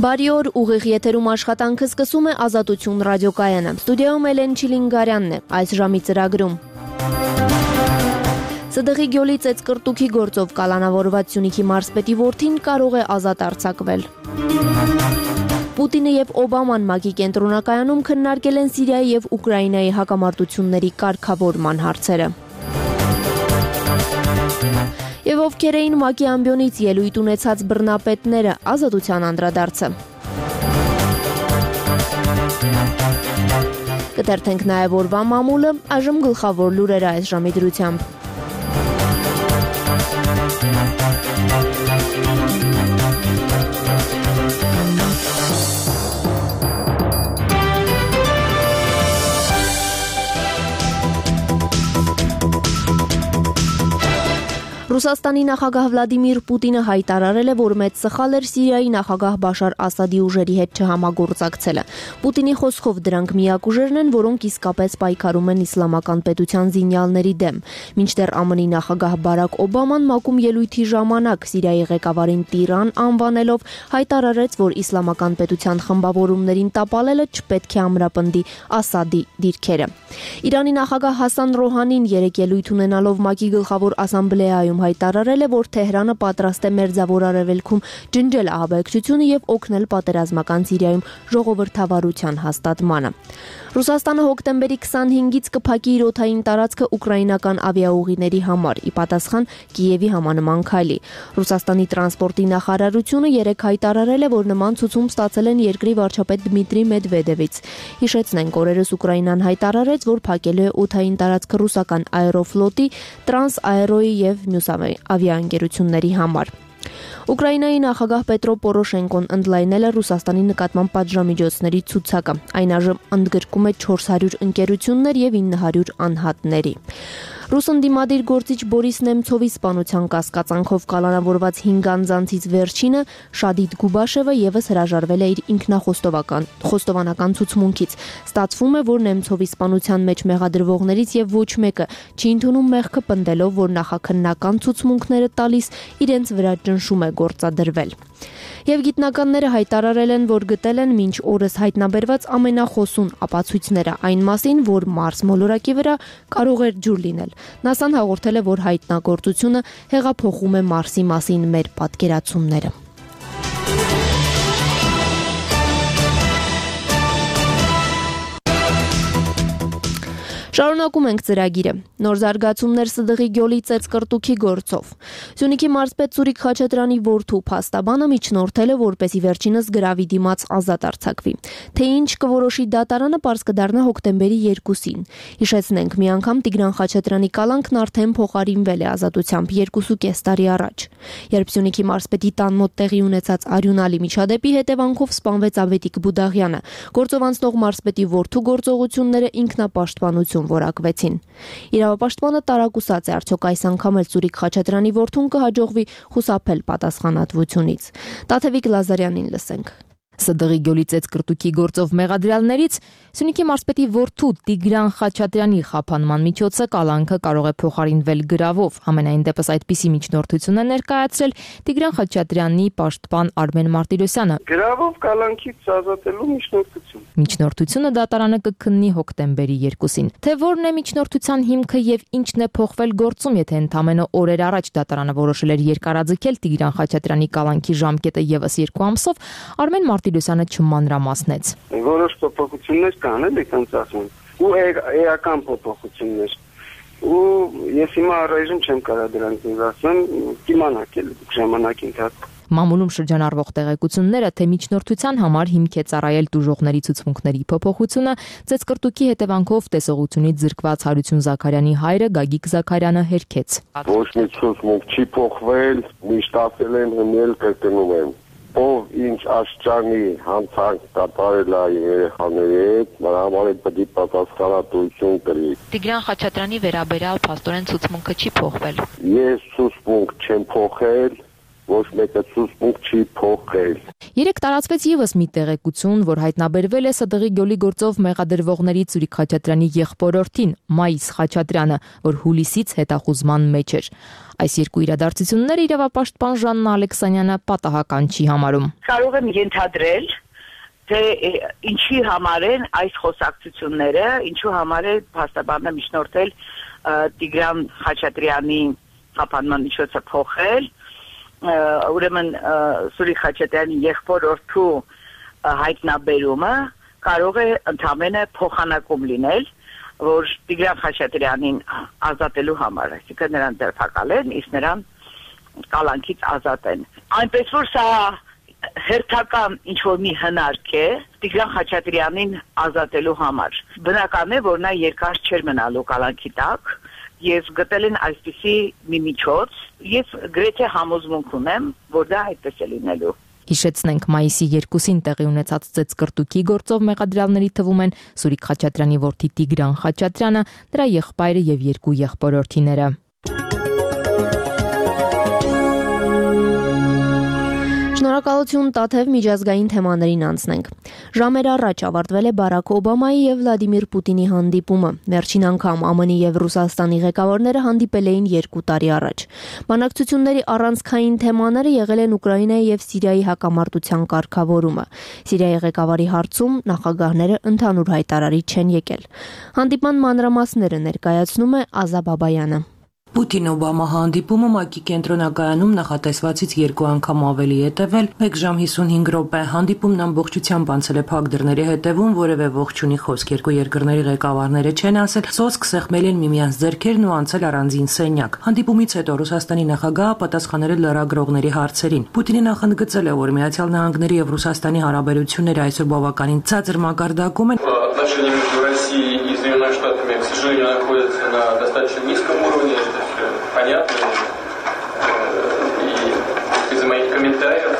Բարի օր, ուղիղ եթերում աշխատանքը սկսում է Ազատություն ռադիոկայանը։ Ստուդիայում Էլեն Չիլինգարյանն է այս ժամի ծրագրում։ ՍԴՂ-ի Գյոլի ծեծկրտուքի գործով կալանավորված Սյունիքի մարզպետի որդին կարող է ազատ արձակվել։ Պուտինը եւ Օբաման ՄԱԿ-ի կենտրոնակայանում քննարկել են Սիրիայի եւ Ուկրաինայի հակամարտությունների կարգավորման հարցերը։ Եվ ովքեր էին ՄԱԿ-ի ամբիոնից ելույթ ունեցած բռնապետները, ազատության անդրադարձը։ Կթերթենք նաև օրվա մամուլը, այժմ գլխավոր լուրերը այս ժամի դրությամբ։ Ռուսաստանի նախագահ Վլադիմիր Պուտինը հայտարարել է, որ մեծ սխալ էր Սիրիայի նախագահ Բաշար Ասադի ուժերի հետ չհամագործակցելը։ Պուտինի խոսքով դրանք միակ ուժերն են, որոնք իսկապես պայքարում են իսլամական պետության զինյալների դեմ։ Մինչդեռ ԱՄՆ-ի նախագահ Բարակ Օբաման ՄԱԿ-ում ելույթի ժամանակ Սիրիայի ղեկավարին տիրան անվանելով հայտարարեց, որ իսլամական պետության խմբավորումներին տապալելը չպետք է ամրապնդի Ասադի դիրքերը։ Իրանի նախագահ Հասան Ռոհանին երեկ ելույթ ունենալով ՄԱԿ-ի գլխավոր ասամբլեայում հայտարարել է, որ Թեհրանը պատրաստ է Մերձավոր Արևելքում ջնջել ահաբեկչությունը եւ օգնել պատերազմական Սիրիայում ժողովրդավարության հաստատմանը։ Ռուսաստանը հոկտեմբերի 25-ից կփակի իր օդային տարածքը ուկրաինական ավիաուղիների համար՝ ի պատասխան Կիևի համանման քայլի։ Ռուսաստանի տրանսպորտի նախարարությունը երեկ հայտարարել է, որ նման ցուցում ստացել են երկրի վարչապետ Դմիտրի Մեդվեդևից։ Հիշեցնենք, օրերս Ուկրաինան հայտարարեց, որ փակելու է օդային տարածքը ռուսական Աերոֆլոտի, Տրանսաերոյի եւ մյուս ավիաընկերությունների համար։ Ուկրաինայի նախագահ Պետրո Պորոշենկոն ընդլայնել է Ռուսաստանի նկատմամբ պատժամիջոցների ցուցակը։ Այն այժմ ընդգրկում է 400 ընկերություններ եւ 900 անհատների։ Ռուս ընդդիմադիր գործիչ Բորիս Նեմցովի սպանության կասկածանքով կալանավորված 5 անձանցից վերջինը Շադիդ Գուբաշևը եւս հրաժարվել է իր ինքնախոստովանական ցուցմունքից։ Ստացվում է, որ Նեմցովի սպանության մեջ մեղադրվողներից եւ ոչ մեկը չի ընդունում մեղքը, պնդելով, որ նախաքննական ցուցմունքները տալիս իրենց վրա ճնշում է գործադրվել։ Եվ գիտնականները հայտարարել են, որ գտել են մինչ օրս հայտնաբերված ամենախոսուն ապացույցները այն մասին, որ Մարս մոլորակի վրա կարող էր ջուր լինել։ ՆԱՍԱ-ն հաղորդել է, որ հայտնագործությունը հեղափոխում է Մարսի մասին մեր պատկերացումները։ Շարունակում ենք ծրագիրը։ Նոր զարգացումներ ՍԴՂ-ի Գյոլի ծեծկրտուքի գործով։ Սյունիքի մարզպետ Սուրիկ Խաչատրյանի որդու փաստաբանը միջնորդել է, որպեսզի վերջինս գրավի դիմաց ազատ արձակվի։ Թե ինչ կորոշի դատարանը, պարզ կդառնա հոկտեմբերի 2-ին։ Հիշեցնենք, մի անգամ Տիգրան Խաչատրյանի կալանքն արդեն փոխարինվել է ազատությամբ 2.5 տարի առաջ։ Երբ Սյունիքի մարզպետի տան մոտ տեղի ունեցած արյունալի միջադեպի հետևանքով սպանվեց Ավետիք Բուդաղյանը, գործով անցնող մարզպետի որդու գործողությունները ինքնապաշտպանություն որակվեցին։ Իրավապաշտպանը տարակուսած է, արդյոք այս անգամ էլ Սուրիկ Խաչատրյանի որդուն կհաջողվի խուսափել պատասխանատվությունից։ Տաթևիկ Լազարյանին լսենք։ ՍԴՂ-ի Գյոլի ծեծկրտուքի գործով մեղադրյալներից Սյունիքի մարզպետի որդու Տիգրան Խաչատրյանի խափանման միջոցը կալանքը կարող է փոխարինվել գրավով։ Համենայն դեպս այդպիսի միջնորդություն է ներկայացրել Տիգրան Խաչատրյանի պաշտպան Արմեն Մարտիրոսյանը։ Գրավով կալանքից ազատելու միջնորդություն։ Միջնորդությունը դատարանը կքննի հոկտեմբերի 2-ին։ Թե որն է միջնորդության հիմքը եւ ինչն է փոխվել գործում, եթե ընդամենը օրեր առաջ դատարանը որոշել էր երկարաձգել Տիգրան Խաչատրյանի կալանքի ժամկետը եւս 2 ամսով, Արմեն Մարտիրոսյանը չմանրամասնեց։ Որոշ փոփոխություններ կան, էլի ոնց ասում, ու էական փոփոխություններ։ Ու ես հիմա առայժմ չեմ կարող դրանք ասեմ, կիմանաք էլ ժամանակի ընթացքում։ Մամուլում շրջանառվող տեղեկությունները, թե միջնորդության համար հիմք է ծառայել տուժողների ցուցմունքների փոփոխությունը, ծեծկրտուքի հետևանքով տեսողությունից զրկված Հարություն Զաքարյանի հայրը Գագիկ Զաքարյանը հերքեց։ Ոչ մի ցուցմունք չի փոխվել, միշտ ասել են հնել կրկնում եմ։ Ով ինչ աշճանի հանցանք կատարել է երեխաների հետ, նրա համար պետք է պատասխանատվություն կրի։ Տիգրան Խաչատրյանի վերաբերյալ փաստորեն ցուցմունքը չի փոխվել։ Ես ցուցմունք չեմ փոխել, ոչ մեկը ցուցմունք չի փոխել։ Երեք տարածվեց եւս մի տեղեկություն, որ հայտնաբերվել է ՍԴՂ-ի գյոլի գործով մեղադրվողների Սուրիկ Խաչատրյանի եղբորորդին Մայիս Խաչատրյանը, որ հուլիսից հետախուզման մեջ էր։ Այս երկու իրադարձությունները իրավապաշտպան Ժաննա Ալեքսանյանը պատահական չի համարում։ Կարող եմ ենթադրել, թե ինչի համար են այս խոսակցությունները, ինչու համար է փաստաբանը միջնորդել Տիգրան Խաչատրյանի խափանման միջոցը փոխել, ուրեմն Սուրիկ Խաչատրյանի եղբորորդու հայտնաբերումը կարող է ընդամենը փոխանակում լինել, որ Տիգրան Խաչատրյանին ազատելու համար, այսինքն նրան ձերբակալեն, իսկ նրան կալանքից ազատեն։ Այնպես որ սա հերթական ինչ-որ մի հնարք է Տիգրան Խաչատրյանին ազատելու համար։ Բնական է, որ նա երկար չէր մնալու կալանքի տակ, եւ գտել են այսպիսի մի միջոց, ես գրեթե համոզմունք ունեմ, որ դա այդպես է լինելու։ Հիշեցնենք, մայիսի 2-ին տեղի ունեցած ծեծկրտուքի գործով մեղադրյալների թվում են Սուրիկ Խաչատրյանի որդի Տիգրան Խաչատրյանը, դրա եղբայրը եւ երկու եղբորորդիները։ Շնորհակալություն Տաթև, միջազգային թեմաներին անցնենք։ Ժամեր առաջ ավարտվել է Բարաք Օբամայի եւ Վլադիմիր Պուտինի հանդիպումը։ Վերջին անգամ ԱՄՆ-ի եւ Ռուսաստանի ղեկավարները հանդիպել էին 2 տարի առաջ։ Բանակցությունների առանցքային թեմաները եղել են Ուկրաինայի եւ Սիրիայի հակամարտության կարգավորումը։ Սիրիայի ղեկավարի հարցում նախագահները ընդհանուր հայտարարի չեն եկել։ Հանդիպման մանրամասները ներկայացնում է Ազա Բաբայանը։ Պուտին-Օբամա հանդիպումը ՄԱԿ-ի կենտրոնակայանում նախատեսվածից 2 անգամ ավելի է տևել, 1 ժամ 55 րոպե։ Հանդիպումն ամբողջությամբ անցել է փակ դռների հետևում, որևէ ողջունի խոսք երկու երկրների ղեկավարները չեն ասել, սոսկ սեղմել են միմյանց ձեռքերն ու անցել առանձին սենյակ։ Հանդիպումից հետո Ռուսաստանի նախագահը պատասխանել է լրագրողների հարցերին։ Պուտինը նախընդգծել է, որ Միացյալ Նահանգների եւ Ռուսաստանի հարաբերությունները այսօր բավականին ցածր մակարդակում են։ Находятся на достаточно низком уровне, это все понятно, и из-за моих комментариев.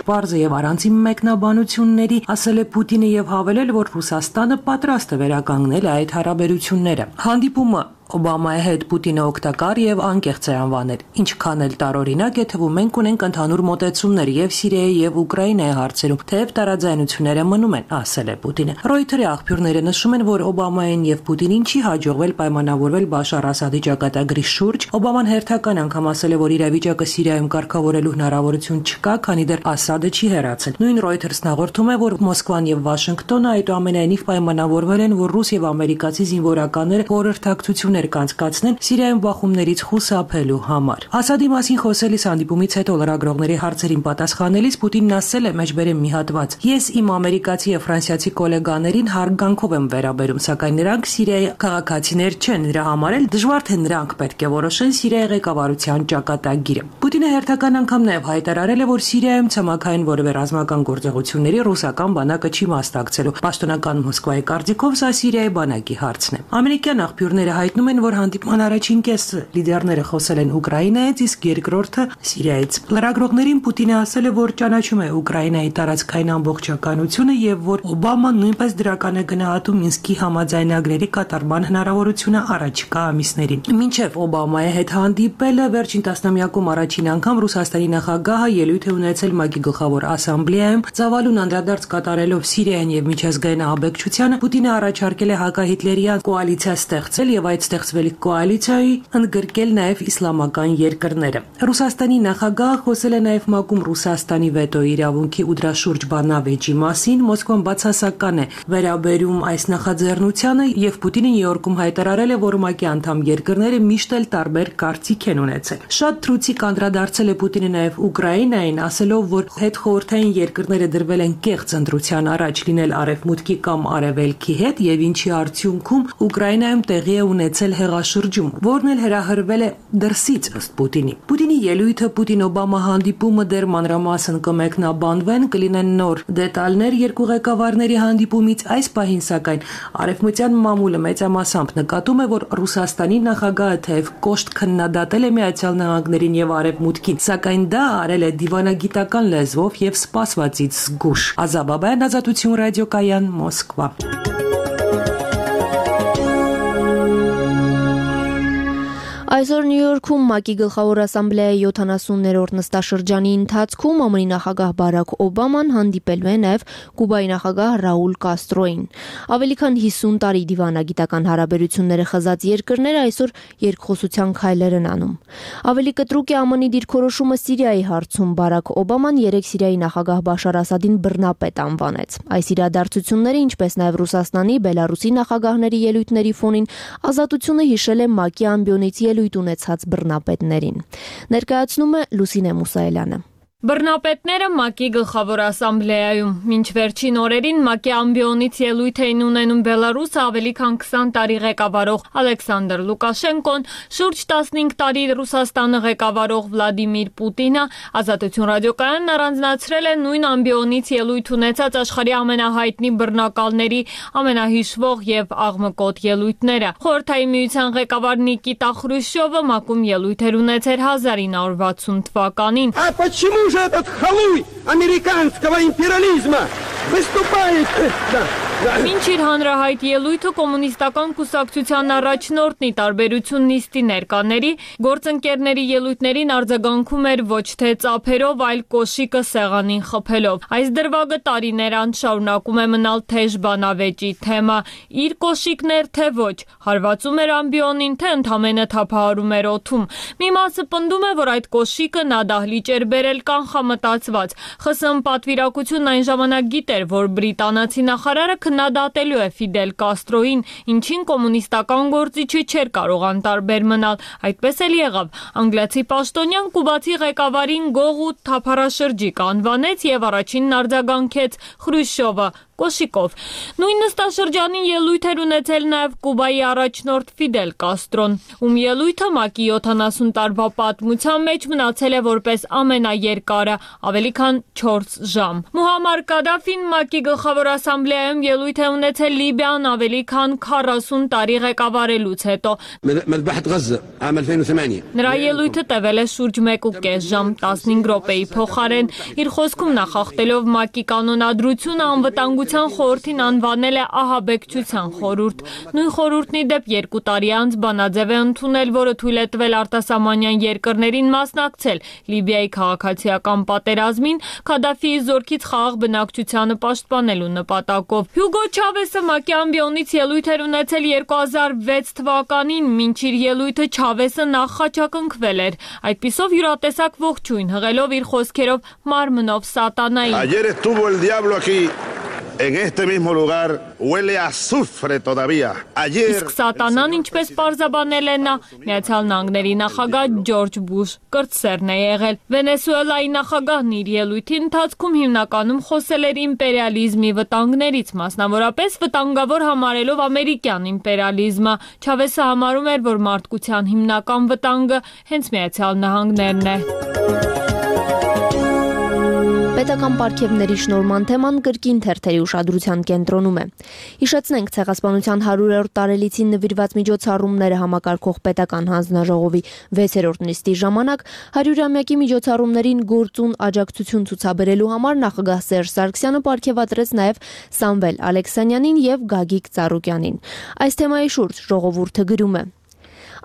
Պարզը եւ առանցին մեկնաբանությունների ասել է Պուտինը եւ հավելել, որ Ռուսաստանը պատրաստ է վերականգնել այդ հարաբերությունները։ Հանդիպումը Օբամայի հետ Պուտինը օգտակար եւ անկեղծ է անվանել։ Ինչքան էլ տարօրինակ է թվում, մենք ունենք ընդհանուր մոտեցումներ եւ Սիրիայի եւ Ուկրաինայի հարցերում, թեև տարաձայնությունները մնում են, ասել է Պուտինը։ Ռոյթերի աղբյուրները նշում են, որ Օբամային եւ Պուտինին չի հաջողվել պայմանավորվել Բաշար Ասադի ճակատագրի շուրջ։ Օբաման հերթական անգամ ասել է, որ իրավիճակը Սիրիայում կարգավորելու հնարավորություն չկա, քանի դեռ Ասադը չի հեռացել։ Նույն Reuters-ն հաղորդում է, որ Մոսկվան եւ Վաշինգտոնը այդուամենայնիվ պայմանավորվել են, որ ռուս եւ ամերիկացի զինվորականները խորհրդակցություն կանցկացնեն Սիրիայում բախումներից խուսափելու համար։ Ասադի մասին խոսելիս հանդիպումից հետո լրագրողների հարցերին պատասխանելիս Պուտինն ասել է մեջբերեմ մի հատված. Ես իմ ամերիկացի եւ ֆրանսիացի գոլեգաներին հարգանքով եմ վերաբերում, սակայն նրանք Սիրիայի քաղաքացիներ չեն, դրա համար էլ դժվար թե նրանք պետք է որոշեն Սիրիայի ղեկավարության ճակատագիրը։ Պուտինը հերթական անգամ նաեւ հայտարարել է, որ Սիրիայում ցամաքային որևէ ռազմական գործողությունների ռուսական բանակը չի մասնակցելու։ Պաշտոնական Մոսկվայի կարծիքով սա Սիրիայի բանակի հարցն է։ Ամերիկյան աղբյուրները հայտնում են, որ հանդիպման առաջին կեսը լիդերները խոսել են Ուկրաինայից, իսկ երկրորդը Սիրիայից։ Լրագրողներին Պուտինը ասել է, որ ճանաչում է Ուկրաինայի տարածքային ամբողջականությունը եւ որ Օբաման նույնպես դրական է գնահատում Մինսկի համաձայնագրերի կատարման հնարավորությունը առաջիկա ամիսներին։ Մինչև Օբամայի հետ հանդիպելը վերջին տասնամյակում առաջին անգամ Ռուսաստանի նախագահը ելույթ է ունեցել ՄԱԿ-ի գլխավոր ասամբլեայում, ծավալուն անդրադարձ կատարելով Սիրիային եւ միջազգային ահաբեկչությանը։ Պուտինը առաջարկել է հակահիտլերյան կոալիցիա ստեղծել եւ այդ ստեղծվելիք կոալիցիայի ընդգրկել նաեւ իսլամական երկրները։ Ռուսաստանի նախագահը խոսել է նաեւ ՄԱԿ-ում Ռուսաստանի վետո իրավունքի ու դրա շուրջ բանավեճի մասին։ Մոսկվան բացասական է վերաբերում այս նախաձեռնությանը եւ Պուտինը Նյու Յորքում հայտարարել է, որ ՄԱԿ-ի անդամ երկրները միշտ էլ տարբեր կարծիք են ունեցել։ Շատ թրուցիկ անդրադարձել է Պուտինը նաեւ Ուկրաինային, ասելով, որ հետխորհրդային երկրները դրվել են կեղծ ընտրության առաջ լինել արևմուտքի կամ արևելքի հետ եւ ինչի արդյունքում Ուկրաինայում տեղի է ունեցել հեղաշրջում, որն էլ հրահրվել է դրսից ըստ Պուտինի։ Պուտինի ելույթը Պուտին-Օբամա հանդիպումը դեռ մանրամասն կմեկնաբանվեն, կլինեն նոր դետալներ երկու ղեկավարների հանդիպումից։ Այս պահին սակայն արևմտյան մամուլը մեծամասամբ նկատում է, որ Ռուսաստանի նախագահը թեև կոշտ քննադատել է Միացյալ Նահանգներին եւ Արևմուտքին, սակայն դա արել է դիվանագիտական լեզվով եւ սպասվածից զգուշ։ Ազա Բաբայան, Ազատություն ռադիոկայան, Մոսկվա։ Այսօր Նյու Յորքում ՄԱԿ-ի գլխավոր ասամբլեայի 70-րդ նստաշրջանի ընթացքում ԱՄՆ նախագահ Բարաք Օբաման հանդիպելու է նաև Կուբայի նախագահ Ռաուլ Կաստրոին։ Ավելի քան 50 տարի դիվանագիտական հարաբերությունները խզած երկրները այսօր երկխոսության քայլեր են անում։ Ավելի կտրուկ է ԱՄՆ-ի դիրքորոշումը Սիրիայի հարցում։ Բարաք Օբաման երեկ Սիրիայի նախագահ Բաշար Ասադին բռնապետ անվանեց։ Այս իրադարձությունները, ինչպես նաև Ռուսաստանի, Բելարուսի նախագահների ելույթների ֆոնին Ազատությունը հիշել է ՄԱԿ-ի ամբիոնից ելույթ ունեցած բռնապետներին։ Ներկայացնում է Լուսինե Մուսայելյանը։ Բռնապետները ՄԱԿ-ի գլխավոր ասամբլեայում մինչ վերջին օրերին ՄԱԿ-ի ամբիոնից ելույթ էին ունենում Բելարուսը ավելի քան 20 տարի ղեկավարող Ալեքսանդր Լուկաշենկոն, շուրջ 15 տարի Ռուսաստանը ղեկավարող Վլադիմիր Պուտինը, Ազատություն ռադիոկայանն առանձնացրել է նույն ամբիոնից ելույթ ունեցած աշխարհի ամենահայտնի բռնակալների ամենահիշվող եւ աղմկոտ ելույթները։ Խորհրդային միության ղեկավար Նիկիտա Խրուշչովը ՄԱԿ-ում ելույթ էր ունեցել 1960 թվականին։ Почему же этот халуй американского империализма выступает? Մինչ իր հանրահայտ ելույթը կոմունիստական կուսակցության առաջնորդն ի տարբերություն նիստի ներկաների գործընկերների ելույթներին արձագանքում էր ոչ թե ծափերով, այլ կոշիկը սեղանին խփելով։ Այս դրվագը տարիներ անց շարունակում է մնալ թեժ բանավեճի թեմա։ Իր կոշիկներ թե ոչ, հարվածում էր ամբիոնին, թե ընդամենը թափահարում էր օդում։ Մի մասը պնդում է, որ այդ կոշիկը նա դահլիճ էր բերել կանխամտածված։ ԽՍՀՄ պատվիրակությունն այն ժամանակ գիտեր, որ բրիտանացի նախարարը քննադատելու է Ֆիդել Կաստրոին, ինչին կոմունիստական գործիչը չէր կարող անտարբեր մնալ։ Այդպես էլ եղավ։ Անգլիացի պաշտոնյան կուբացի ղեկավարին գող ու թափառաշրջիկ անվանեց եւ առաջինն արձագանքեց Խրուշչովը կոշիկով։ Նույն նստաշրջանին ելույթ էր ունեցել նաև Կուբայի առաջնորդ Ֆիդել Կաստրոն, ում ելույթը ՄԱԿ-ի 70 տարվա պատմության մեջ մնացել է որպես ամենաերկարը, ավելի քան 4 ժամ։ Մուհամմար Կադաֆին ՄԱԿ-ի գլխավոր ասամբլեայում ելույթ է ունեցել Լիբիան ավելի քան 40 տարի ղեկավարելուց հետո։ Նրա ելույթը տևել է շուրջ 1.5 ժամ, 15 րոպեի փոխարեն։ Իր խոսքում նախախտելով ՄԱԿ-ի կանոնադրությունը անվտանգության խորհրդին անվանել է ահաբեկչության խորհուրդ։ Նույն խորհուրդն ի դեպ 2 տարի անց բանաձև է ընդունել, որը թույլ է տվել արտասահմանյան երկրներին մասնակցել Լիբիայի քաղաքացիական պատերազմին Քադաֆիի զորքից խաղաղ բնակչությանը պաշտպանելու նպատակով։ Հյուգո Չավեսը ՄԱԿ-ի ամբիոնից ելույթ էր ունեցել 2006 թվականին, մինչ իր ելույթը Չավեսը նախ խաչակնքվել էր։ Այդպիսով յուրատեսակ ողջույն հղելով իր խոսքերով մարմնով սատանային։ En este mismo lugar huele a azufre todavía. Իսկ սատանան, ինչպես պարզաբանել է նա, Միացյալ Նահանգների նախագահ Ջորջ Բուշ կրտսերն է եղել։ Վենեսուելայի նախագահն իր ելույթի ընթացքում հիմնականում խոսել էր իմպերիալիզմի վտանգներից, մասնավորապես վտանգավոր համարելով ամերիկյան իմպերիալիզմը։ Չավեսը համարում էր, որ մարդկության հիմնական վտանգը հենց Միացյալ Նահանգներն է։ Պետական պարգևների շնորհման թեման կրկին թերթերի ուշադրության կենտրոնում է։ Հիշեցնենք, Ցեղասպանության 100-րդ տարելիցին նվիրված միջոցառումները համակարգող պետական հանձնաժողովի 6-րդ նիստի ժամանակ 100-ամյակի միջոցառումներին գործուն աջակցություն ցուցաբերելու համար նախագահ Սերժ Սարգսյանը պարգևատրեց նաև Սամվել Ալեքսանյանին եւ Գագիկ Ծառուկյանին։ Այս թեմայի շուրջ ժողովուրդը գրում է.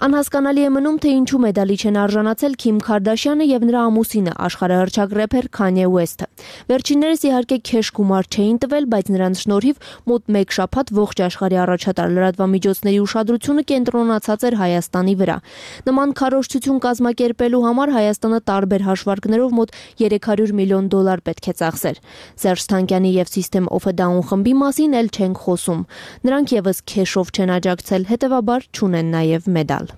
Անհասկանալի է մնում, թե ինչու մեդալի չեն արժանացել Քիմ Քարդաշյանը եւ նրա ամուսինը, աշխարհահռչակ рэփեր Քանյե Ուեսթը։ Վերջիններս իհարկե քեշ գումար չէին տվել, բայց նրանց շնորհիվ մոտ 1 շաբաթ ողջ աշխարհի առաջատար լրատվամիջոցների ուշադրությունը կենտրոնացած էր Հայաստանի վրա։ Նման քարոզչություն կազմակերպելու համար Հայաստանը տարբեր հաշվարկներով մոտ $300 միլիոն պետք է ծախսեր։ Սերժ Թանկյանի եւ System of a Down խմբի մասին էլ չենք խոսում։ Նրանք եւս քեշով չեն աջակցել, հետեւաբար չունեն նաեւ մեդալ։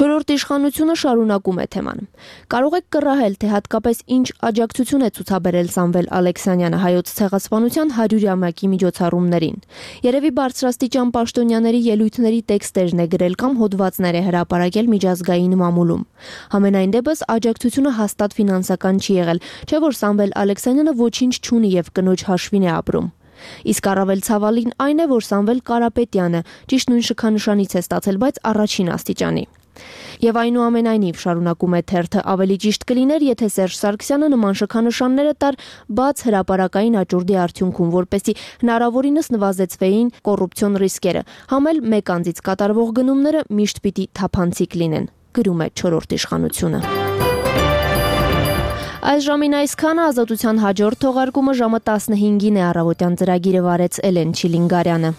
Չորրորդ իշխանությունը շարունակում է թեման։ Կարող եք կռահել, թե հատկապես ինչ աջակցություն է ցուցաբերել Սամվել Ալեքսանյանը հայոց ցեղասպանության 100-ամյակի միջոցառումներին։ Երևի բարձրաստիճան պաշտոնյաների ելույթների տեքստերն է գրել կամ հոդվածներ է հրապարակել միջազգային մամուլում։ Համենայն դեպս աջակցությունը հաստատ ֆինանսական չի եղել, չէ՞ որ Սամվել Ալեքսանյանը ոչինչ չունի եւ կնոջ հաշվին է ապրում։ Իսկ առավել ցավալին այն է, որ Սամվել Կարապետյանը ճիշտ նույն շքանշանից է ստացել, բայց առաջին աստիճանի։ Եվ այնուամենայնիվ շարունակում է թերթը, ավելի ճիշտ կլիներ, եթե Սերժ Սարգսյանը նման շքանշանները տար բաց հրապարակային աճուրդի արդյունքում, որպեսզի հնարավորինս նվազեցվեին կոռուպցիոն ռիսկերը, համ էլ մեկ անձից կատարվող գնումները միշտ պիտի թափանցիկ լինեն, գրում է Չորրորդ իշխանությունը։ Այս ժամին այսքանը, Ազատության հաջորդ թողարկումը ժամը 15-ին է, առավոտյան ծրագիրը վարեց Էլեն Չիլինգարյանը։